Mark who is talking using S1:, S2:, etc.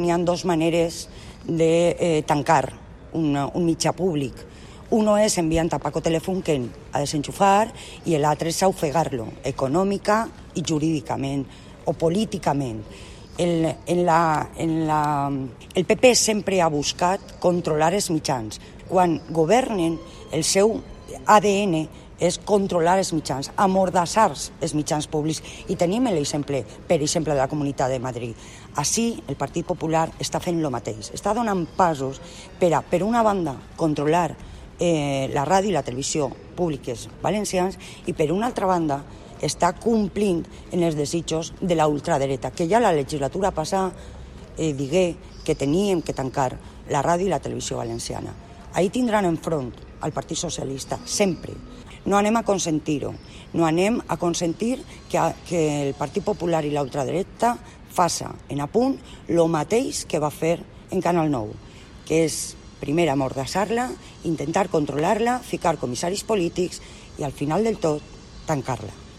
S1: Hi ha dues maneres de tancar un mitjà públic. Uno es enviant a Paco Telefunken a desenxufar i l'altre és ofegar-lo econòmica i jurídicament o políticament. El PP sempre ha buscat controlar els mitjans. Quan governen, el seu ADN és controlar els mitjans, amordassar els mitjans públics. I tenim l'exemple, per exemple, de la Comunitat de Madrid. Així, el Partit Popular està fent el mateix. Està donant passos per una banda, controlar la ràdio i la televisió públiques valencians i, per una altra banda, està complint en els desitjos de la ultradreta, que ja la legislatura passada digué que teníem que tancar la ràdio i la televisió valenciana. Ahí tindran enfront al Partit Socialista, sempre. No anem a consentir-ho. No anem a consentir que el Partit Popular i la ultradreta faça en apunt el mateix que va fer en Canal 9, que és primer amordassar-la, intentar controlar-la, ficar comissaris polítics i al final del tot tancar-la.